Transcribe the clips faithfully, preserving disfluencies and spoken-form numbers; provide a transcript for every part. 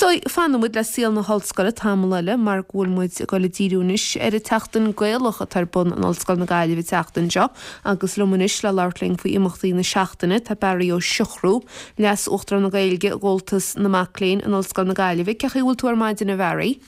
So fanfaidh muid le saol na hollscoile tamall eile mar go bhfuil muid ag dul ag díriú anois ar an tSeachtain Ghaelach atá ar bun in Ollscoil na Gaillimhe an tseachtain seo agus liom anois le labhairt linn faoi imeachtaí na seachtaine tá Barry Ó Siochrú, Leas-Uachtarán na Gaeilge i gComhaltas na Mac Léinn in Ollscoil na Gaillimhe. Cén chaoi a bhfuil tú ar maidin a Bharry?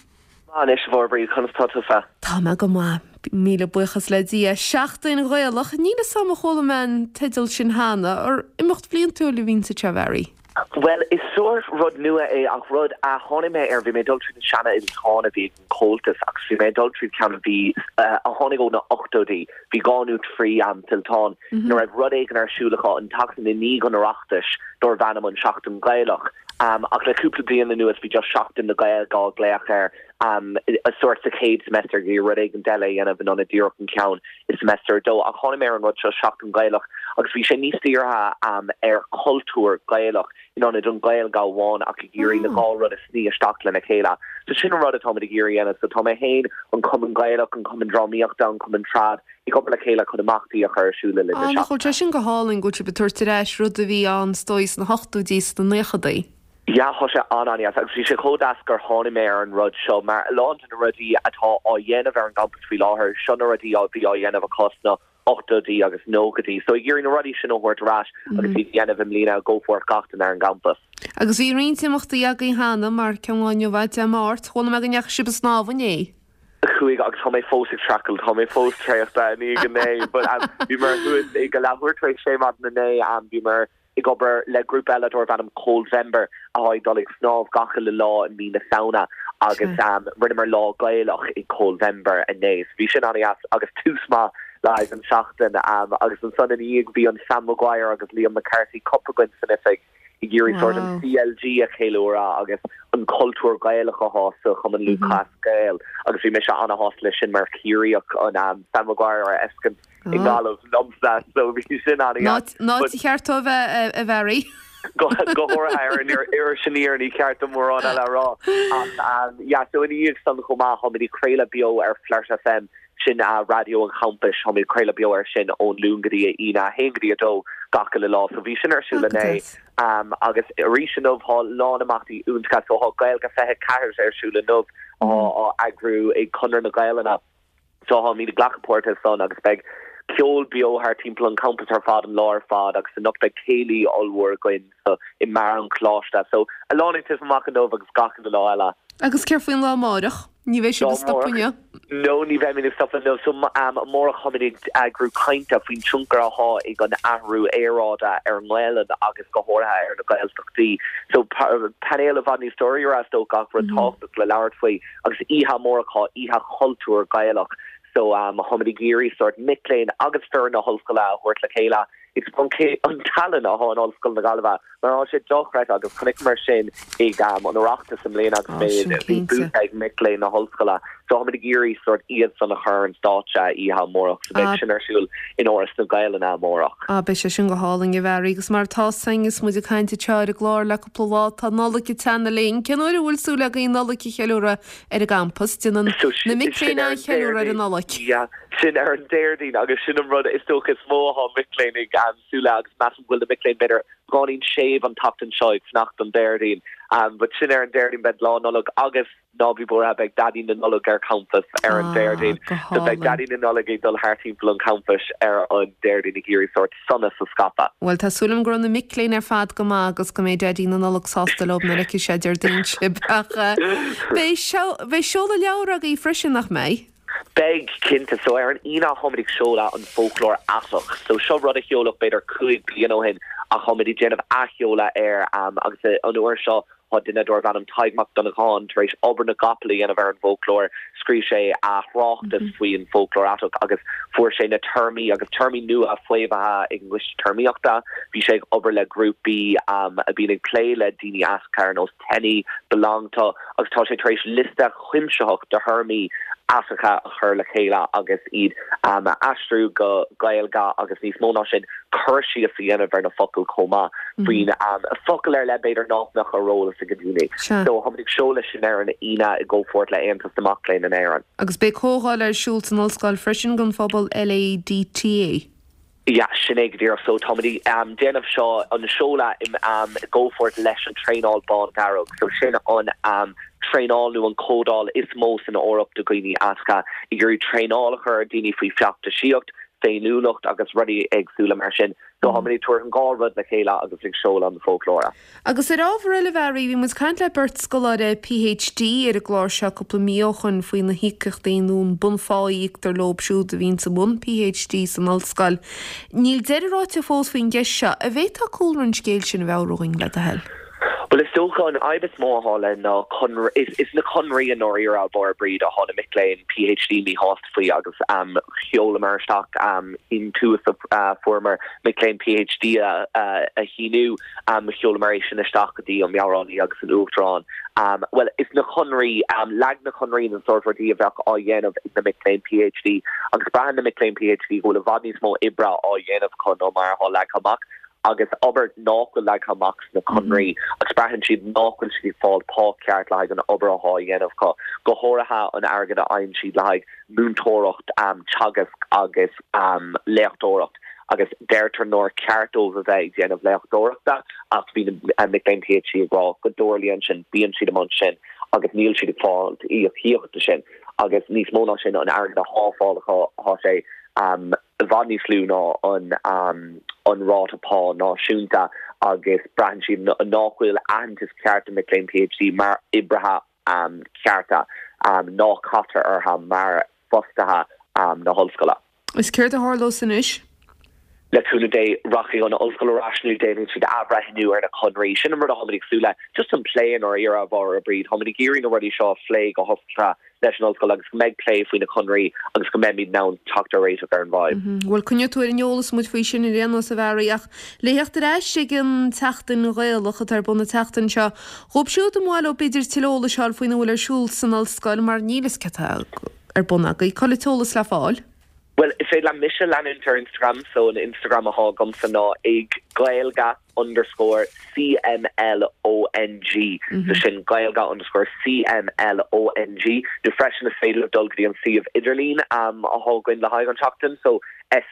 Anois bhrí conas tá tú? Tá mé go maith míle buíochas le Dia Seachtain Ghaelach níl a fhios agam ar chuala mé an teideal sin cheana ar imeacht bliantúil a bhíonn sa Bharry. Well is sórt rud nua é ach rud a tháinig mé ar bhí mé dul trí na seanfhillteáin a bhí an Comhaltas agus bhí mé dul trí ceann bhí a tháinig ó na ochtóidí bhí dhá nó trí am fillteán mm -hmm. raibh rud éigin ar siúl acu an tseachtain i ndiaidh an Oireachtais darbh ainm an Seachtain Gaelach. Um, ach le cúpla bliain anuas bhí just Seachtain na Gaeilge á glaoch air um, a sórt sa chéad semester bhí rud éigin eile a dhéanamh an díreach an ceann i semester dó ach tháinig mé ar an rud seo Seachtain Gaelach agus bhí sé níos dírithe um, ar cultúr Gaelach in ionad an Ghaeilge amháin ach ag iarraidh na dhá rud a shní isteach lena chéile. So sin an rud atá ag iarraidh a dhéanamh, so tá mé féin an Cumann Gaelach an Cumann Drámaíochta an Cumann Trad ag obair le chéile chun imeachtaí a chur ar siúl le Chu sé sin go hálainn go bhfuil tabhairt ar ais rud a bhí ann sna hochtóidí sna nóchaidí. Ja tá sé an-an-deas agus bhí sé chomh deas gur tháinig mé ar an rud seo mar lán de na rudaí atá á dhéanamh ar an gcampus faoi láthair seo na rudaí á bhí á dhéanamh acu sna ochtóidí agus nóchaidí, so ag iarraidh na rudaí sin a thabhairt ar ais agus mm. dhéanamh i mbliana go fóill gach duine ar an gcampas. Agus bhí roinnt imeachtaí agaibh cheana mar ceann inniu Dé Máirt, chuala mé go ndeachaigh sibh ag snámh inné. Chuaigh agus tá mé fós ag streachailt tá mé fós traochta ní go né, but um, bhí mar thuas ag go leathuair tar éis sé maidin inné um, bhí mar ag obair le grúpa eile darbh ainm Coldvember a ag dul ag snámh gach uile lá i mí na Samhna agus um, rinneamar lá Gaelach i Coldvember inné. Bhí sin an-deas agus tús maith le an seachtain um, agus ansan in íag bhí an Sam Maguire agus Liam McCarthy Cup againn san oifig ag iarraidh sort an CLG a cheiliúradh agus an cultúr Gaelach atá sa Chumann Lúthchleas Gael agus bhí mise an-shásta leis sin mar Ciarraíoch an um, Sam Maguire a fheiscint i nGaillimh liomsa so bhí sin an Ná cheart a bheith a Bharry. go háirithe ar sin ní ceart mórán eile rá ja so in íag san chomh maith tá craoladh beo ar Flirt FM sin a raidió an champais tá craoladh beo ar sin ón Luan go dtí Aoine haon go dtí a dó gach uile lá so bhí sin ar siúl inné um, agus arís inniu tá lán imeachtaí iontacha so tá Gaeilge fiche ceathair ar siúl inniu á á eagrú ag Conradh na Gaeilge. So tá mé ag glacadh páirte san agus beidh ceol beo thar timpeall an campus ar fad an lá ar fad agus anocht beidh céilí ollmhór againn so i mbeár an choláiste so a lán ag titim amach inniu agus gach uile lá eile. Agus céard faoin lá amárach? Ní bheidh sibh ag stopadh inniu? No ní bheimid ag stopadh inniu so um, amárach táimid ag eagrú cainte faoin tionchar atá ag an athrú aeráide ar an nGaeilge agus go háirithe ar na Gaeltachtaí. So painéal i bhfad níos dáiríre so gach rud mm -hmm. tábhachtach le labhairt faoi agus oíche amárach oíche chultúr Gaelach. So um, táimid ag iarraidh sort mic léinn agus foireann na hollscoile a thabhairt le chéile. It's an tallann atá in Ollscoil na Gaillimhe mar tá sé dochreidte agus chonaic mar sin ag um, an Oireachtas i mbliana agus bhí bua ag mic léinn na hollscoile. So táimid ag iarraidh sort iad san a chur an stáitse oíche amárach so beidh sin ar siúl in Áras na Gaeilge amárach. A beidh sé sin go hálainn a Bharry agus mar tá is muid ag caint ar an gclár le cúpla lá tá Nollaig ag teannadh linn Cén uair a bhfuil súil agaibh Nollaig a cheiliúradh ar an gcampas Déanann na mic léinn an cheiliúradh ar an Nollaig. sin ar an Déardaoin agus sin an rud is dócha is mó atá mic léinn ag um, súil agus measaim go bhfuil na mic léinn b'fhéidir beagáinín séimh an tseachtain seo ag fanacht an Déardaoin um, but sin ar an Déardaoin beidh lá Nollag agus ná bí buartha beidh Daidí na Nollag ar campus ar an ah, Déardaoin so beidh Daidí na Nollag ag dul thart timpeall an campus ar an Déardaoin ag iarraidh sort sonas a scaipeadh. Well tá súil agam go raibh na mic léinn ar fad go maith agus go mbeidh Daidí na Nollag sásta leo na leici sé Déardaoin sib ach beidh seoladh leabhar agaibh freisin nach mbeidh? Beidh cinnte so ar an Aoine táimid ag seoladh an foclóir aiteach. So seo rud a seoladh b'fhéidir cúig bliana ó shin ach táimid ag déanamh athsheoladh air um, agus an uair seo tá duine darbh ainm Tadhg Mac Donnacháin tar éis obair na gcapall a dhéanamh ar an bhfoclóir, scríobh sé a thráchtas mm -hmm. faoin foclóir aiteach agus fuair sé na téarmaí agus téarmaí nua faomhaithe ag an gcoiste téarmaíochta, bhí sé ag obair le grúpaí um, a bhíonn ag plé le daoine aiteacha ar nós TENI, BeLonG To agus tá sé tar éis liosta cuimsitheach de théarmaí aiteacha a chur le chéile agus iad um, aistriú go Gaeilge agus níos mó ná sin cur síos a dhéanamh ar na focail chomh maith mm -hmm. faoin um, focal ar le b'fhéidir nach mbeadh ar eolas ag daoine. So táimid ag seoladh sin ar an Aoine i gcomhpháirt le Aontas na Mac Léinn in Éirinn. Agus beidh comhdháil ar siúl san ollscoil freisin don phobal LADTA. Yeah, sin é go díreach so táimid um, déanamh seo an seoladh im um, gcomhpháirt leis an traenáil bándearg so sin an um, traenáil nó an códáil is mó san Eoraip do dhaoine aiteacha ag iarraidh traenáil a chur ar daoine faoi feachtasaíocht féiniúlacht agus rudaí éagsúla mar sin so táimid ag tabhairt an dhá rud le chéile agus ag seoladh an foclóra. Agus ar ábhar eile Bharry bhí muid caint le beirt scoláire PhD ar an gclár seo cúpla mí ó shin faoi na híocaíochtaí nó an bunphá a íoctar leo siúd a bhíonn sa mbun PhD san ollscoil. Níl deireadh ráite fós faoin gceist seo an bhféadfá cúlra an scéil sin a mheabhrú dúinn le do thoil. Well is dócha an fhadhb is mó atá le ná is, is na conraí an nóíar a bar bríd a thána mic léinn PhD míshásta faoi agus um, sheolamar isteach um, in tú uh, fuaireamar mic léinn PhD a, a, a shíniú um, sheolamar é sin isteach go dtí an meabhránaí agus an uachtarán. Um, well is na conraí um, lag na conraí an sórt rudaí a bheadh á dhéanamh ag na mic léinn PhD agus braitheann na mic léinn PhD go bhfuil i bhfad níos mó oibre á dhéanamh chun nó mar atá leagtha amach agus obair nach bhfuil leagtha amach sna conraí agus braitheann siad nach bhfuil siad fáil pá ceart le an obair atá á dhéanamh acu go háirithe an airgead a fhaigheann siad le múinteoireacht um, teagasc agus um, léachtóireacht agus deirtear nár cheart dóibh a bheith déanamh léachtóireachta ach bhí uh, mic léinn PhD ag rá go dtarlaíonn sin bíonn siad amach sin agus níl siad ag fáil íocaíochta sin agus níos mó ná sin an airgead atá á fháil tá sé um, i bhfad níos lú ná an um, an ráta pá náisiúnta agus braitheann siad nach bhfuil aitheantas ceart mic léinn PhD mar oibrithe um, cearta um, ná caitear orthu mar fostaithe um, na hollscoile. Is céard a tharlós anois? Le cúnamh Dé rachaidh an ollscoil ar ais nó déanfaidh siad athbhreithniú ar na conraí sin an rud a súla just an plé ar ar a bhar a bríd Táimid ag iarraidh na rudaí seo a phlé go hoscailte leis an ollscoil agus go mbeidh plé faoi na conraí agus go mbeimid in ann teacht ar réiteach ar an bhfadhb. Mhm. Bhuel coinneoidh tú ar an eolas muid faoi sin ar aon nós a Bharry ach le theacht ar ais ag an tseachtain Ghaelach atá ar bun an tseachtain seo. Dóibh siúd ar mhaith leo b'fhéidir tuilleadh eolais a fháil faoina bhfuil ar siúl san ollscoil mar níl a fhios cad tá ar bun agaibh, cá bhfuil an t-eolas le fáil. Well is féidir le mise leanúint ar Instagram so an Instagram atá agamsa ná ag Gaeilge underscore CMLONG mm -hmm. so sin Gaeilge underscore CMLONG nó freisin is féidir dul go dtí an suíomh idirlín um, atá againn le haghaidh an tseachtain so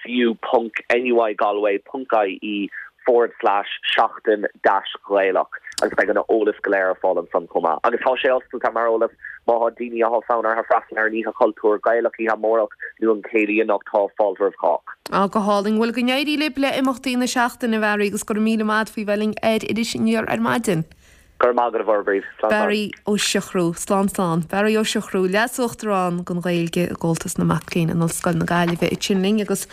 su.nuigalway.ie forward slash seachtain dash Gaelach agus beidh an eolas go léir ar fáil ansan chomh maith. Agus tá sé oscailte mar eolas má tá daoine atá fonn orthu freastal ar an oíche chultúir Gaelach oíche amárach nó an céilí anocht tá fáilte roimh chách. Á go hálainn bhuel go n-éirí libh le imeachtaí na seachtaine a Bharry agus go raibh míle maith faoi bheith linn ar Iris Aniar ar maidin. Gur má go bhbríd. Barry Ó Siochrú, slán slán, Barry Ó Siochrú, leas-uachtarán don Ghaeilge i gComhaltas na Mac Léinn in Ollscoil na Gaillimhe ansin linn agus